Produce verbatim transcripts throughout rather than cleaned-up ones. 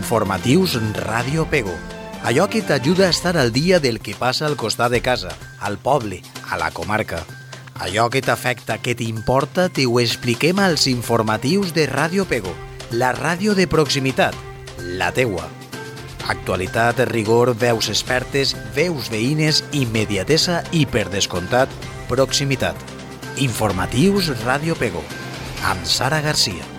Informatius Ràdio Pego. Allò que t'ajuda a estar al dia del que passa al costat de casa, al poble, a la comarca. Allò que t'afecta, que t'importa, t'ho expliquem als informatius de Ràdio Pego, la ràdio de proximitat, la teua. Actualitat, rigor, veus expertes, veus veïnes, immediatesa i, per descomptat, proximitat. Informatius Ràdio Pego, amb Sara Garcia.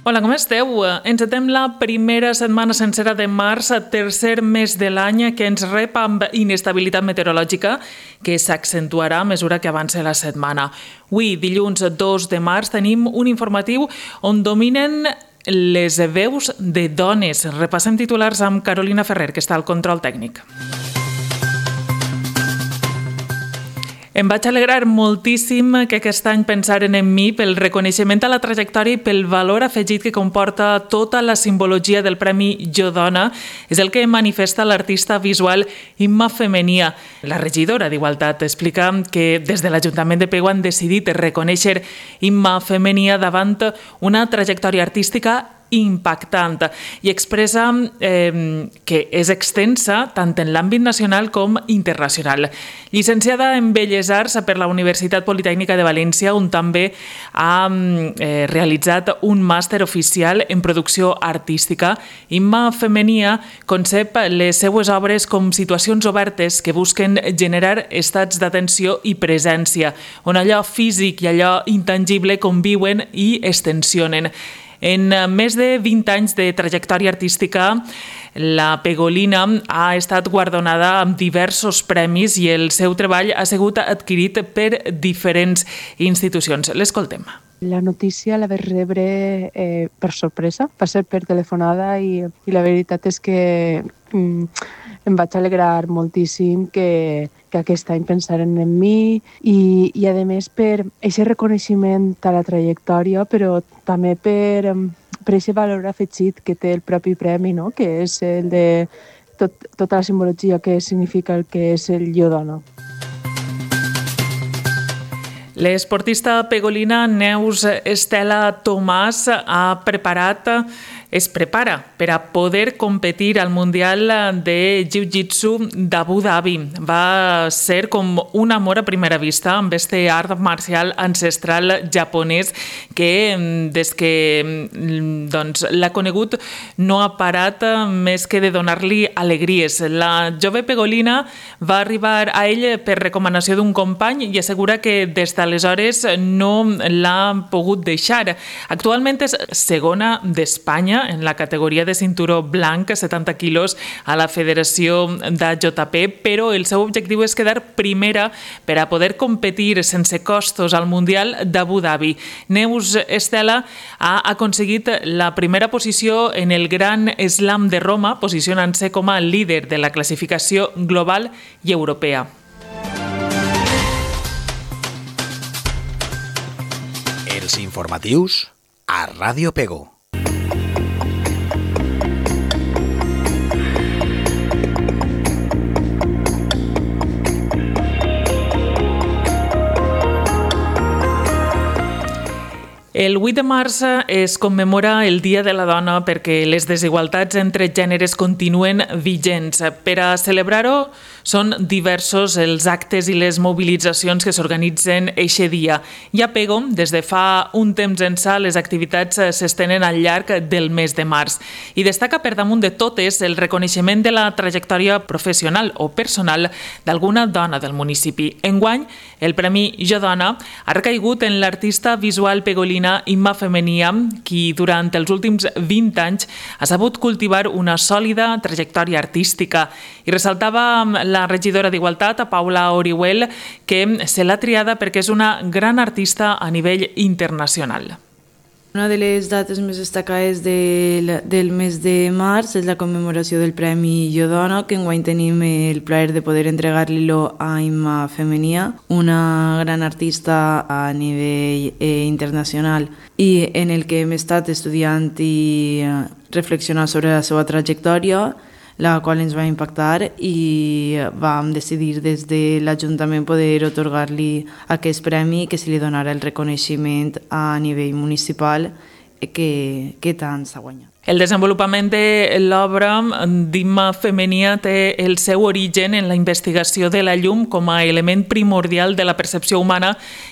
Hola, com esteu? Encetem la primera setmana sencera de març, tercer mes de l'any, que ens rep amb inestabilitat meteorològica que s'accentuarà a mesura que avança la setmana. Avui, dilluns dos de març, tenim un informatiu on dominen les veus de dones. Repassem titulars amb Carolina Ferrer, que està al control tècnic. Em vaig alegrar moltíssim que aquest any pensaren en mi pel reconeixement a la trajectòria i pel valor afegit que comporta tota la simbologia del Premi Jo Dona. És el que manifesta l'artista visual Imma Femenia. La regidora d'Igualtat explica que des de l'Ajuntament de Pego han decidit reconèixer Imma Femenia davant una trajectòria artística impactant i expressa eh, que és extensa tant en l'àmbit nacional com internacional. Llicenciada en Belles Arts per la Universitat Politècnica de València, on també ha eh, realitzat un màster oficial en producció artística, Imma Femenia concep les seues obres com situacions obertes que busquen generar estats d'atenció i presència, on allò físic i allò intangible conviuen i es tensionen. En més de vint anys de trajectòria artística, la pegolina ha estat guardonada amb diversos premis i el seu treball ha sigut adquirit per diferents institucions. L'escoltem. La notícia la vaig rebre eh, per sorpresa, va ser per telefonada i, i la veritat és que mm, em vaig alegrar moltíssim que, que aquest any pensaren en mi i, i a més per aquest reconeixement a la trajectòria, però també per, per aquest valor afegit que té el propi premi, no? Que és el de tot, tota la simbologia que significa el que és el Jo Dona. L'esportista pegolina Neus Estela Tomàs ha preparat, es prepara per a poder competir al Mundial de Jiu-Jitsu d'Abu Dhabi. Va ser com un amor a primera vista amb este art marcial ancestral japonès que des que doncs, l'ha conegut no ha parat més que de donar-li alegries. La jove pegolina va arribar a ell per recomanació d'un company i assegura que des d'aleshores no l'ha pogut deixar. Actualment és segona d'Espanya en la categoria de cinturó blanc, setanta quilos, a la Federació d'A J P, però el seu objectiu és quedar primera per a poder competir sense costos al Mundial d'Abu Dhabi. Neus Estela ha aconseguit la primera posició en el Gran Slam de Roma, posicionant-se com a líder de la classificació global i europea. Els informatius a Ràdio Pego. El vuit de març es commemora el Dia de la Dona perquè les desigualtats entre gèneres continuen vigents. Per a celebrar-ho són diversos els actes i les mobilitzacions que s'organitzen eixe dia. I a Pego, des de fa un temps ençà, les activitats s'estenen al llarg del mes de març. I destaca per damunt de totes el reconeixement de la trajectòria professional o personal d'alguna dona del municipi. Enguany, el Premi Jo Dona ha recaigut en l'artista visual pegolina Imma Femenia, qui durant els últims vint anys ha sabut cultivar una sòlida trajectòria artística. I ressaltava la regidora d'Igualtat, Paula Orihuel, que se l'ha triada perquè és una gran artista a nivell internacional. Una de les dates més destacades del, del mes de març és la commemoració del Premi Jo Dona, que enguany tenim el plaer de poder entregar-li-lo a Imma Femenia, una gran artista a nivell eh, internacional, i en el que hem estat estudiant i eh, reflexionant sobre la seva trajectòria, la qual ens va impactar, i vam decidir des de l'Ajuntament poder otorgar-li aquest premi, que se li donara el reconeixement a nivell municipal que, que tant s'ha guanyat. El desenvolupament de l'obra d'Imma Femenia té el seu origen en la investigació de la llum com a element primordial de la percepció humana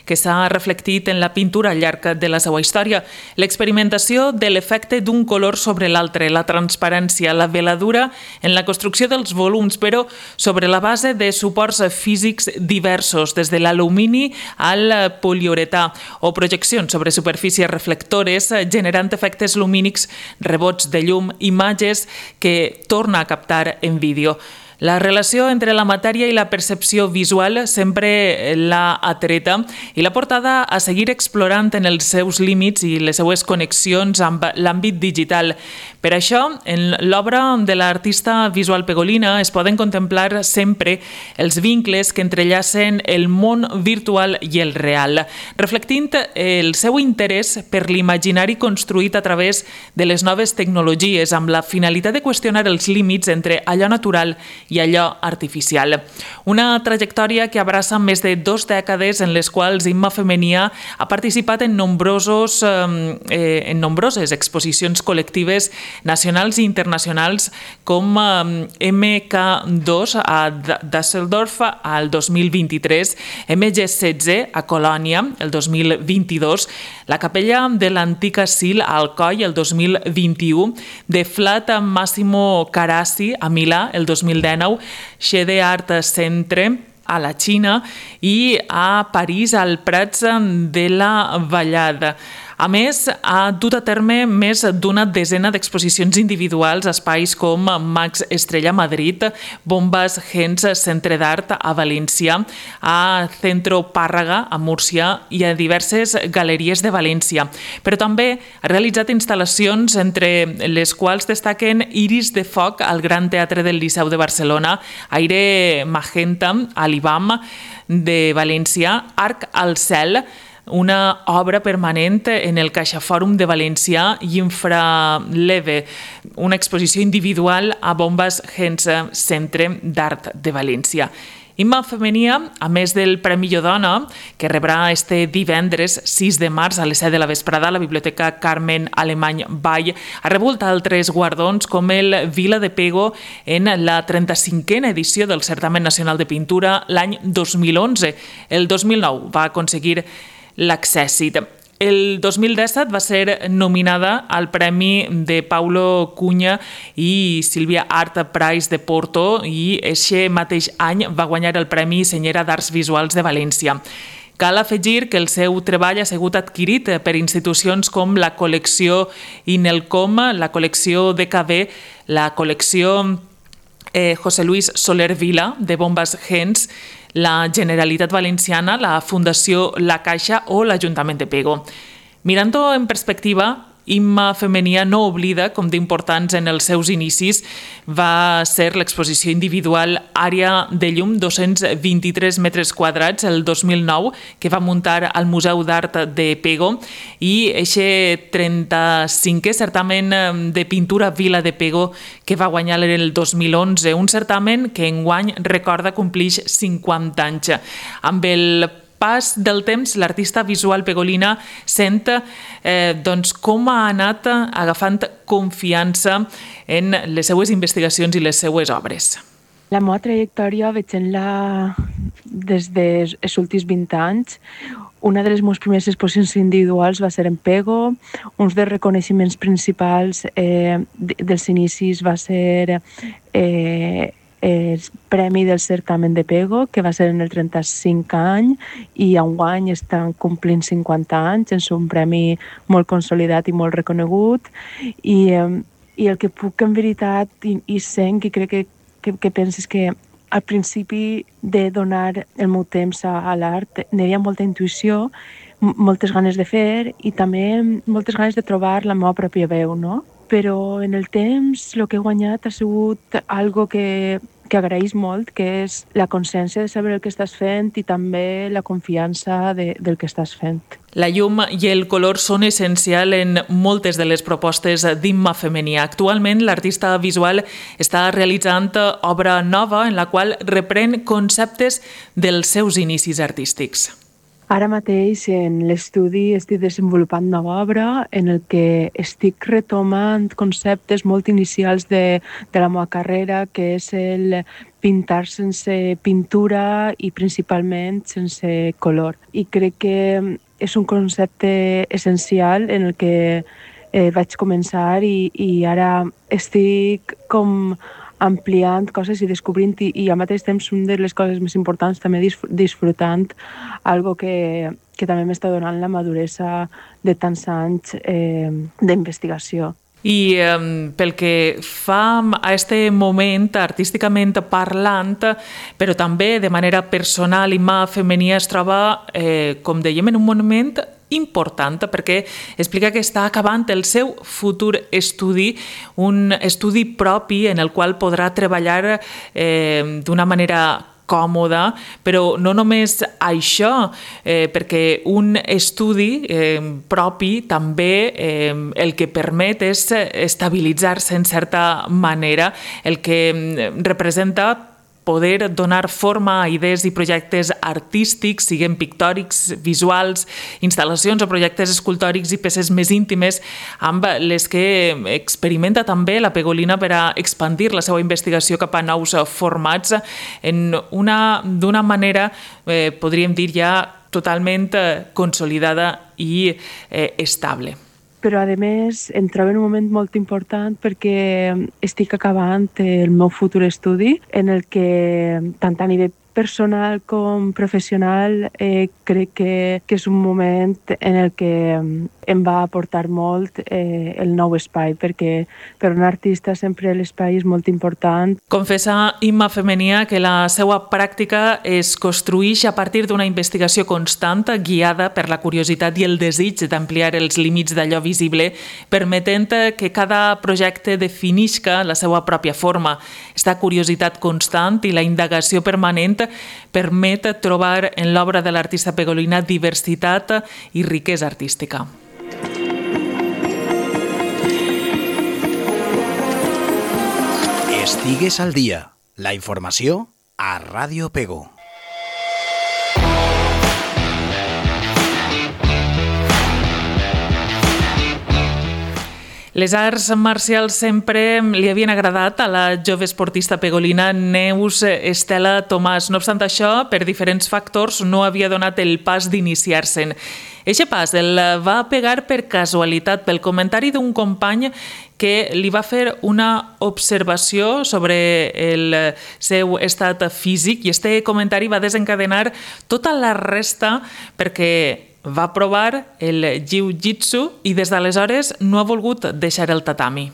que s'ha reflectit en la pintura al llarg de la seva història. L'experimentació de l'efecte d'un color sobre l'altre, la transparència, la veladura en la construcció dels volums, però sobre la base de suports físics diversos, des de l'alumini al poliuretà, o projeccions sobre superfícies reflectores generant efectes lumínics rebots de llum, imatges que torna a captar en vídeo. La relació entre la matèria i la percepció visual sempre l'ha atreta i l'ha portada a seguir explorant en els seus límits i les seues connexions amb l'àmbit digital. Per això, en l'obra de l'artista visual pegolina es poden contemplar sempre els vincles que entrellacen el món virtual i el real, reflectint el seu interès per l'imaginari construït a través de les noves tecnologies amb la finalitat de qüestionar els límits entre allò natural i allò artificial. Una trajectòria que abraça més de dos dècades en les quals Imma Femenia ha participat en, nombrosos, eh, en nombroses exposicions col·lectives nacionals i internacionals, com eh, eme ca dos a Düsseldorf al dos mil vint-i-tres, eme ge setze a Colònia el dos mil vint-i-dos, la Capella de l'Antic Asil a Alcoi el dos mil vint-i-u, de Flat a Massimo Carrassi a Milà el dos mil dinou, Shede Art Centre a la Xina i a París al Prats de la Vallada. A més, ha dut a terme més d'una desena d'exposicions individuals a espais com Max Estrella a Madrid, Bombas Gens Centre d'Art a València, a Centro Pàrraga a Múrcia i a diverses galeries de València. Però també ha realitzat instal·lacions entre les quals destaquen Iris de Foc al Gran Teatre del Liceu de Barcelona, Aire Magenta a l'I B A M de València, Arc al Cel, una obra permanent en el CaixaFòrum de València, i Infraleve, una exposició individual a Bombas Gens Centre d'Art de València. Imma Femenia, a més del Premi Jo Dona, que rebrà este divendres sis de març a les set de la vesprada a la Biblioteca Carmen Alemany Vall, ha rebut altres guardons com el Vila de Pego en la trenta-cinquena edició del Certamen Nacional de Pintura l'any dos mil onze. El dos mil nou va aconseguir l'Accèssit. El dos mil disset va ser nominada al Premi de Paulo Cunha i Sílvia Art Prize de Porto, i aquest mateix any va guanyar el Premi Senyera d'Arts Visuals de València. Cal afegir que el seu treball ha sigut adquirit per institucions com la col·lecció Inelcom, la col·lecció de ca be, la col·lecció eh, José Luis Soler Vila de Bombas Gens, la Generalitat Valenciana, la Fundació La Caixa o l'Ajuntament de Pego. Mirant-ho en perspectiva, Imma Femenia no oblida com d'importants en els seus inicis va ser l'exposició individual Àrea de Llum, dos-cents vint-i-tres metres quadrats, el dos mil nou, que va muntar al Museu d'Art de Pego, i aquest trenta-cinquè certamen de pintura Vila de Pego que va guanyar el dos mil onze, un certamen que enguany recorda complix cinquanta anys. Amb el pas del temps, l'artista visual pegolina sent eh, doncs, com ha anat agafant confiança en les seues investigacions i les seues obres. La meva trajectòria veient-la des dels últims vint anys. Una de les meves primeres exposicions individuals va ser en Pego. Un dels reconeixements principals eh, dels inicis va ser eh, el Premi del Certamen de Pego, que va ser en el trenta-cinc any, i enguany estan complint cinquanta anys. És un premi molt consolidat i molt reconegut. I, eh, i el que puc en veritat, i, i sent, i crec que, que, que penses que al principi de donar el meu temps a, a l'art n'hi havia molta intuïció, moltes ganes de fer i també moltes ganes de trobar la meva pròpia veu, no? Però en el temps el que he guanyat ha sigut algo que, que agraïs molt, que és la consciència de saber el que estàs fent i també la confiança de, del que estàs fent. La llum i el color són essencials en moltes de les propostes d'Imma Femení. Actualment, l'artista visual està realitzant obra nova en la qual reprèn conceptes dels seus inicis artístics. Ara mateix en l'estudi estic desenvolupant nova obra en el que estic retomant conceptes molt inicials de, de la meva carrera, que és el pintar sense pintura i principalment sense color. I crec que és un concepte essencial en el que eh, vaig començar i, i ara estic com ampliant coses i descobrint i, i al mateix temps una de les coses més importants també disfrutant algo que, que també m'està donant la maduresa de tants anys eh, d'investigació. I eh, pel que fa a este moment, artísticament parlant, però també de manera personal, Imma Femení es troba, eh, com dèiem, en un moment important perquè explica que està acabant el seu futur estudi, un estudi propi en el qual podrà treballar eh, d'una manera còmoda, però no només això, eh, perquè un estudi eh, propi també eh, el que permet és estabilitzar-se en certa manera, el que representa poder donar forma a idees i projectes artístics, siguin pictòrics, visuals, instal·lacions o projectes escultòrics i peces més íntimes, amb les que experimenta també la Pegolina per a expandir la seva investigació cap a nous formats en una, d'una manera, eh, podríem dir, ja totalment consolidada i eh, estable. Però, a més, em trobo en un moment molt important perquè estic acabant el meu futur estudi en el que, tant a nivell personal com professional, eh, crec que, que és un moment en el que em va aportar molt eh, el nou espai, perquè per un artista sempre l'espai és molt important. Confessa Imma Femení que la seva pràctica es construeix a partir d'una investigació constant guiada per la curiositat i el desig d'ampliar els límits d'allò visible, permetent que cada projecte definisca la seva pròpia forma. Esta curiositat constant i la indagació permanent permet trobar en l'obra de l'artista Pegolina diversitat i riquesa artística. Estigues al dia. La informació a Ràdio Pego. Les arts marcials sempre li havien agradat a la jove esportista pegolina Neus Estela Tomàs. No obstant això, per diferents factors, no havia donat el pas d'iniciar-se'n. Eixe pas el va pegar per casualitat, pel comentari d'un company que li va fer una observació sobre el seu estat físic i este comentari va desencadenar tota la resta perquè va provar el jiu-jitsu i des d'aleshores no ha volgut deixar el tatami.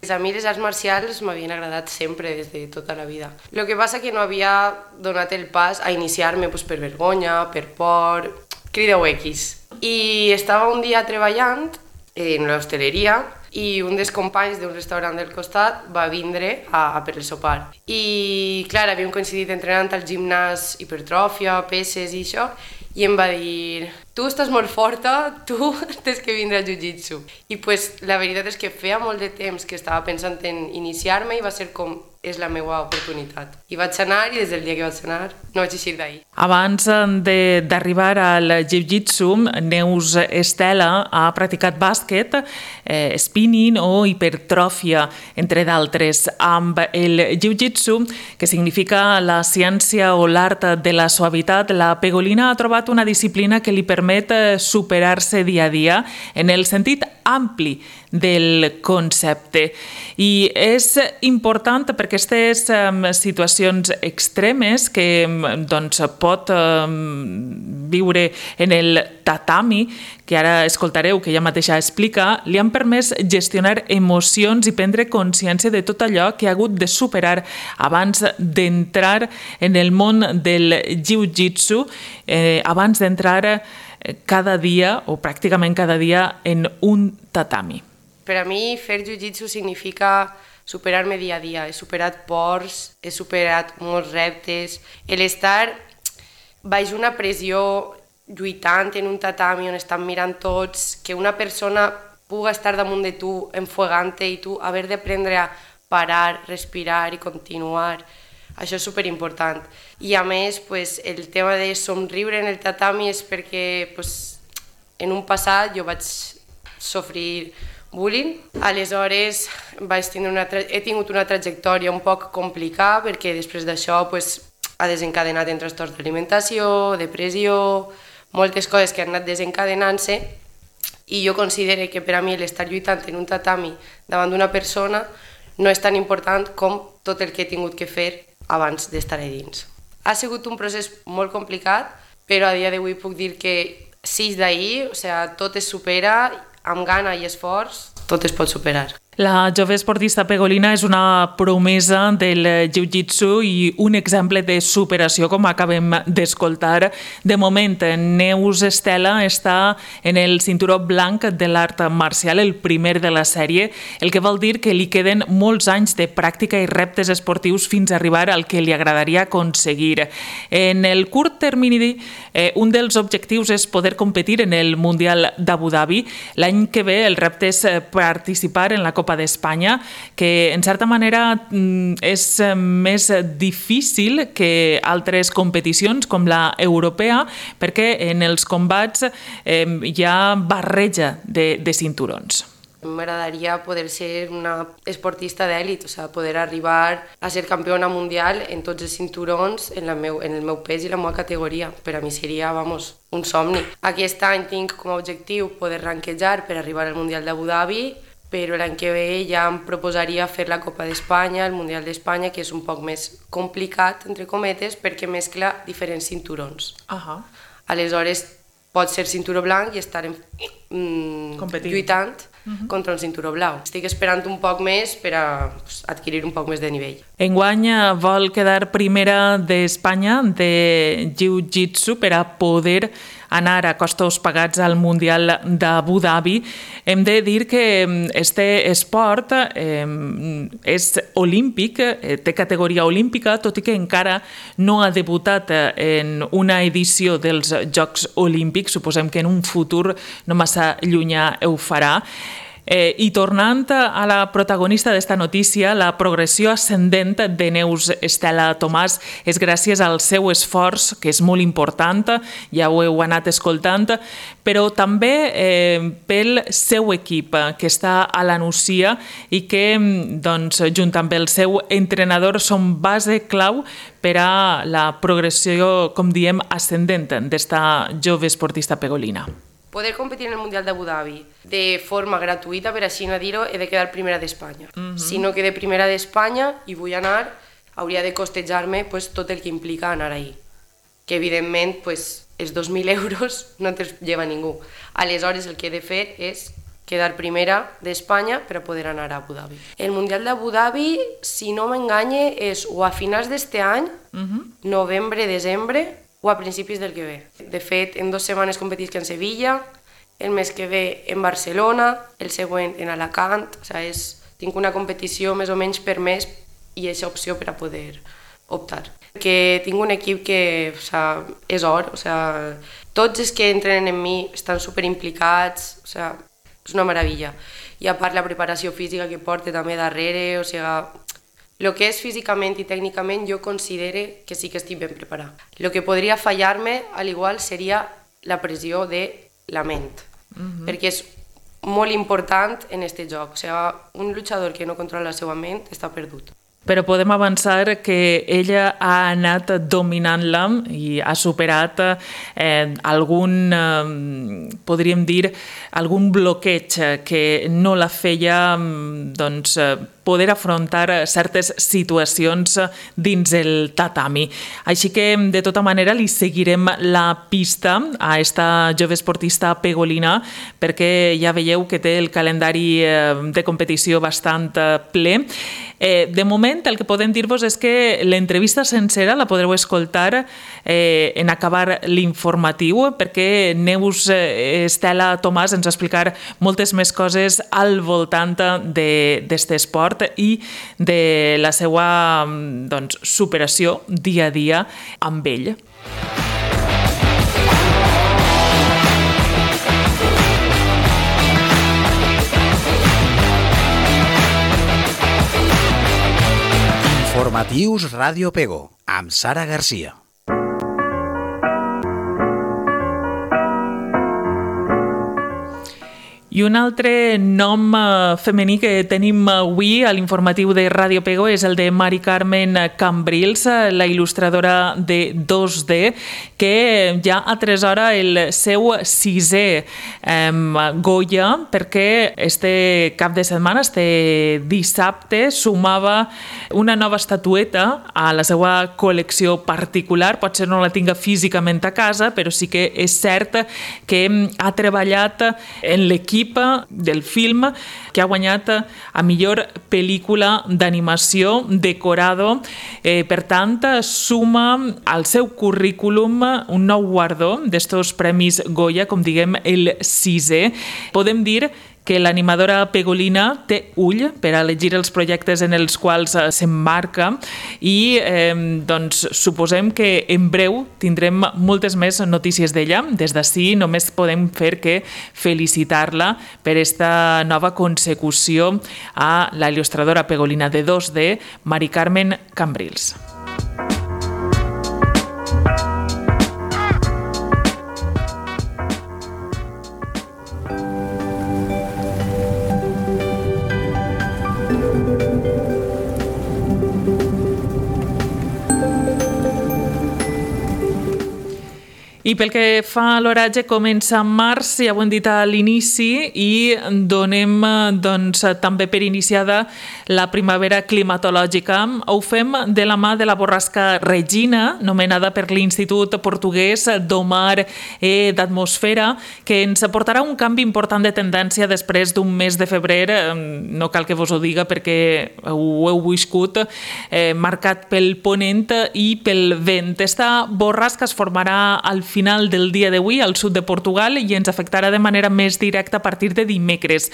A mi les arts marcials m'havien agradat sempre, des de tota la vida. El que passa que no havia donat el pas a iniciar-me pues, per vergonya, per por, crideu X. I estava un dia treballant en l'hostaleria i un dels companys d'un restaurant del costat va vindre a, a per el sopar. I, clar, havíem coincidit entrenant al gimnàs hipertròfia, peses i això, i em va dir, tu estàs molt forta, tu tens que vindre al jiu-jitsu. I pues, la veritat és que feia molt de temps que estava pensant en iniciar-me i va ser com, és la meva oportunitat. I vaig anar i des del dia que vaig anar no vaig eixir d'ahir. Abans d'arribar al jiu-jitsu, Neus Estela ha practicat bàsquet, eh, spinning o hipertròfia, entre d'altres. Amb el jiu-jitsu, que significa la ciència o l'art de la suavitat, la Pegolina ha trobat una disciplina que li permet superar-se dia a dia en el sentit ampli del concepte. I és important perquè aquestes um, situacions extremes que doncs, pot um, viure en el tatami, que ara escoltareu, que ella mateixa explica, li han permès gestionar emocions i prendre consciència de tot allò que ha hagut de superar abans d'entrar en el món del jiu-jitsu, eh, abans d'entrar cada dia, o pràcticament cada dia, en un tatami? Per a mi, fer jiu-jitsu significa superar-me dia a dia. He superat pors, he superat molts reptes. L'estar baix una pressió lluitant en un tatami on estan mirant tots, que una persona puga estar damunt de tu enfuegant-te i tu haver d'aprendre a parar, respirar i continuar. Això és superimportant. I a més, pues, el tema de somriure en el tatami és perquè pues, en un passat jo vaig sofrir bullying. Aleshores vaig tindre una tra... he tingut una trajectòria un poc complicada perquè després d'això pues, ha desencadenat en trastorns d'alimentació, depressió, moltes coses que han anat desencadenant-se i jo considero que per a mi l'estar lluitant en un tatami davant d'una persona no és tan important com tot el que he tingut que fer abans d'estar a dins. Ha sigut un procés molt complicat, però a dia d'avui puc dir que sis d'ahir, o sigui, tot es supera, amb gana i esforç, tot es pot superar. La jove esportista pegolina és una promesa del jiu-jitsu i un exemple de superació, com acabem d'escoltar. De moment, Neus Estela està en el cinturó blanc de l'art marcial, el primer de la sèrie, el que vol dir que li queden molts anys de pràctica i reptes esportius fins a arribar al que li agradaria aconseguir. En el curt termini, eh, un dels objectius és poder competir en el Mundial d'Abu Dhabi. L'any que ve el repte és participar en la Copa d'Espanya, que en certa manera és més difícil que altres competicions com la europea, perquè en els combats eh, hi ha barreja de, de cinturons. M'agradaria poder ser una esportista d'èlit, o sigui, poder arribar a ser campiona mundial en tots els cinturons en, la meu, en el meu pes i la meva categoria. Per a mi seria, vamos, un somni. Aquest any tinc com a objectiu poder ranquejar per arribar al Mundial d'Abu Dhabi, però l'any que ve ja em proposaria fer la Copa d'Espanya, el Mundial d'Espanya, que és un poc més complicat, entre cometes, perquè mescla diferents cinturons. Uh-huh. Aleshores, pot ser cinturó blanc i estar en, mm, lluitant uh-huh. contra un cinturó blau. Estic esperant un poc més per a pues, adquirir un poc més de nivell. Enguany vol quedar primera d'Espanya de jiu-jitsu per a poder anar a costos pagats al Mundial d'Abu Dhabi. Hem de dir que este esport eh, és olímpic, eh, té categoria olímpica, tot i que encara no ha debutat en una edició dels Jocs Olímpics. Suposem que en un futur no massa llunyà ho farà. Eh, I tornant a la protagonista d'esta notícia, la progressió ascendent de Neus Estela Tomàs és gràcies al seu esforç, que és molt important, ja ho heu anat escoltant, però també eh, pel seu equip, que està a la Nucia i que, doncs, junt amb el seu entrenador, són base clau per a la progressió, com diem, ascendent d'esta jove esportista pegolina. Poder competir en el Mundial d'Abu Dhabi de forma gratuïta, per així no dir-ho, he de quedar primera d'Espanya. Uh-huh. Si no quede primera d'Espanya i vull anar, hauria de costejar-me pues, tot el que implica anar ahí. Que evidentment pues, els dos mil euros no te'ls lleva ningú. Aleshores el que he de fer és quedar primera d'Espanya per a poder anar a Abu Dhabi. El Mundial d'Abu Dhabi, si no m'enganye, és o a finals d'este any, uh-huh. novembre, desembre, o a principis del que ve. De fet, en dues setmanes competisc en Sevilla, el mes que ve en Barcelona, el següent en Alacant, o sigui, és, tinc una competició més o menys per mes i és opció per a poder optar. Que tinc un equip que o sigui, és or, o sigui, tots els que entrenen en mi estan superimplicats, o sigui, és una meravella. I a part la preparació física que porta també darrere, o sigui, el que és físicament i tècnicament jo considero que sí que estic ben preparat. El que podria fallar-me, al igual, seria la pressió de la ment, uh-huh. perquè és molt important en aquest joc. O sigui, un lluitador que no controla la seva ment està perdut. Però podem avançar que ella ha anat dominant-la i ha superat eh, algun, eh, podríem dir, algun bloqueig que no la feia doncs, poder afrontar certes situacions dins el tatami. Així que, de tota manera, li seguirem la pista a esta jove esportista pegolina, perquè ja veieu que té el calendari de competició bastant ple. Eh, de moment, el que podem dir-vos és que l'entrevista sencera la podreu escoltar eh, en acabar l'informatiu, perquè Neus eh, Estela Tomàs ens va explicar moltes més coses al voltant d'aquest esport i de la seva doncs, superació dia a dia amb ell. Informatius Ràdio Pego, amb Sara Garcia. I un altre nom femení que tenim avui a l'informatiu de Ràdio Pego és el de Mari Carmen Cambrils, la il·lustradora de dos D, que ja atresora el seu sisè eh, Goya, perquè este cap de setmana, este dissabte, sumava una nova estatueta a la seva col·lecció particular. Potser no la tinga físicament a casa, però sí que és cert que ha treballat en l'equip del film que ha guanyat a millor pel·lícula d'animació decorado. Eh, per tant, suma al seu currículum un nou guardó d'estos premis Goya, com diguem el sisè. Podem dir que l'animadora pegolina té ull per a elegir els projectes en els quals s'emmarca i eh, doncs, suposem que en breu tindrem moltes més notícies d'ella. Des d'ací només podem fer que felicitar-la per esta nova consecució a la il·lustradora pegolina de dos D, Mari Carmen Cambrils. I pel que fa a l'oratge, comença en març, ja ho hem dit a l'inici, i donem doncs, també per iniciada la primavera climatològica. Ho fem de la mà de la borrasca Regina, nomenada per l'Institut Portuguès d'Omar e d'Atmosfera, que ens aportarà un canvi important de tendència després d'un mes de febrer, no cal que vos ho diga perquè ho heu viscut, eh, marcat pel ponent i pel vent. Esta borrasca es formarà al final final del dia d'avui al sud de Portugal i ens afectarà de manera més directa a partir de dimecres.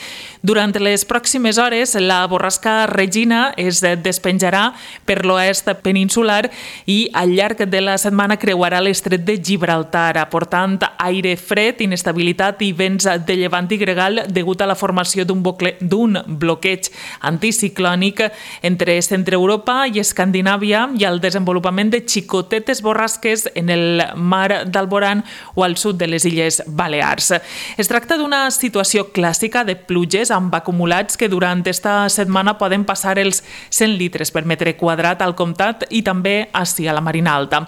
Durant les pròximes hores, la borrasca Regina es despenjarà per l'oest peninsular i al llarg de la setmana creuarà l'estret de Gibraltar, aportant aire fred, inestabilitat i vents de llevant i gregal degut a la formació d'un bloqueig anticiclònic entre Centre Europa i Escandinàvia i el desenvolupament de xicotetes borrasques en el mar d'Alborán o al sud de les Illes Balears. Es tracta d'una situació clàssica de pluges amb acumulats que durant esta setmana poden passar els cent litres per metre quadrat al comtat i també ací a la Marina Alta.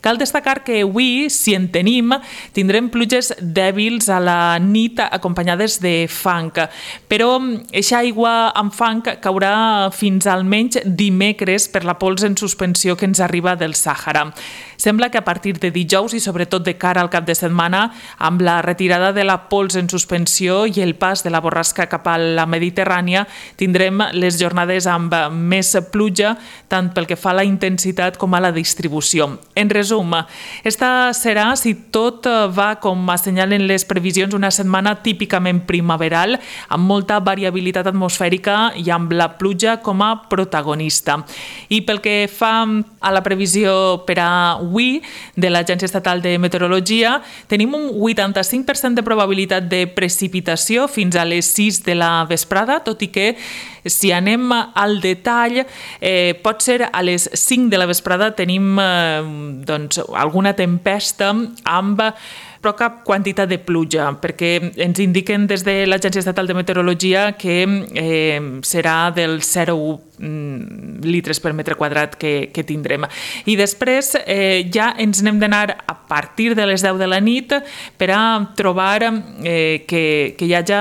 Cal destacar que avui, si en tenim, tindrem pluges dèbils a la nit acompanyades de fang, però eixa aigua amb fang caurà fins almenys dimecres per la pols en suspensió que ens arriba del Sàhara. Sembla que a partir de dijous i sobretot de cara al cap de setmana, amb la retirada de la pols en suspensió i el pas de la borrasca cap a la Mediterrània, tindrem les jornades amb més pluja, tant pel que fa a la intensitat com a la distribució. En resum, esta serà, si tot va com assenyalen les previsions, una setmana típicament primaveral, amb molta variabilitat atmosfèrica i amb la pluja com a protagonista. I pel que fa a la previsió per a avui de l'Agència Estatal de Meteorologia, tenim un vuitanta-cinc per cent de probabilitat de precipitació fins a les sis de la vesprada, tot i que si anem al detall, eh, pot ser a les cinc de la vesprada tenim eh, doncs, alguna tempesta amb però cap quantitat de pluja, perquè ens indiquen des de l'Agència Estatal de Meteorologia que eh, serà del zero coma un litres per metre quadrat que, que tindrem. I després eh, ja ens n'hem d'anar a partir de les deu de la nit per a trobar eh, que, que hi hagi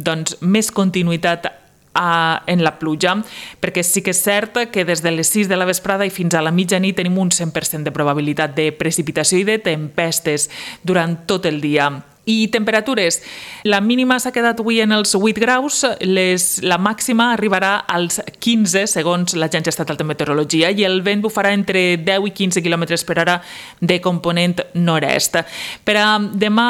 doncs, més continuïtat a, en la pluja, perquè sí que és cert que des de les sis de la vesprada i fins a la mitjanit tenim un cent per cent de probabilitat de precipitació i de tempestes durant tot el dia. I temperatures. La mínima s'ha quedat avui en els vuit graus, les, la màxima arribarà als quinze, segons l'Agència Estatal de Meteorologia, i el vent bufarà entre deu i quinze quilòmetres per hora de component nord-est. Per a demà,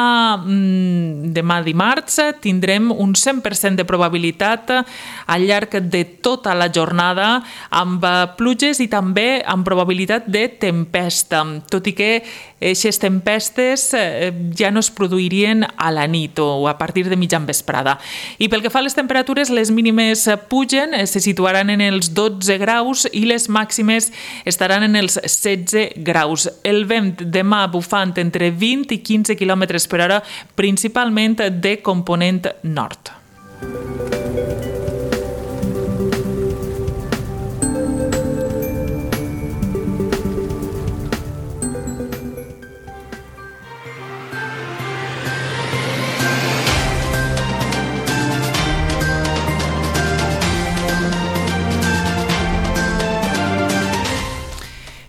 demà dimarts tindrem un cent per cent de probabilitat al llarg de tota la jornada, amb pluges i també amb probabilitat de tempesta, tot i que aquestes tempestes ja no es produirien a la nit o a partir de mitjan vesprada. I pel que fa a les temperatures, les mínimes pugen, se situaran en els dotze graus i les màximes estaran en els setze graus. El vent demà bufant entre vint i quinze quilòmetres per hora, principalment de component nord.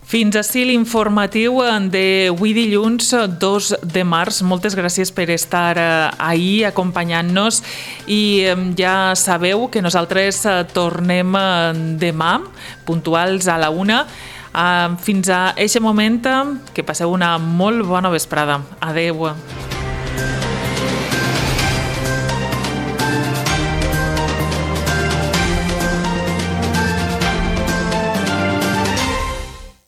Fins ací l'informatiu d'avui dilluns dos de març. Moltes gràcies per estar ahí acompanyant-nos i ja sabeu que nosaltres tornem demà, puntuals a la una. Fins a aquest moment, que passeu una molt bona vesprada. Adeu.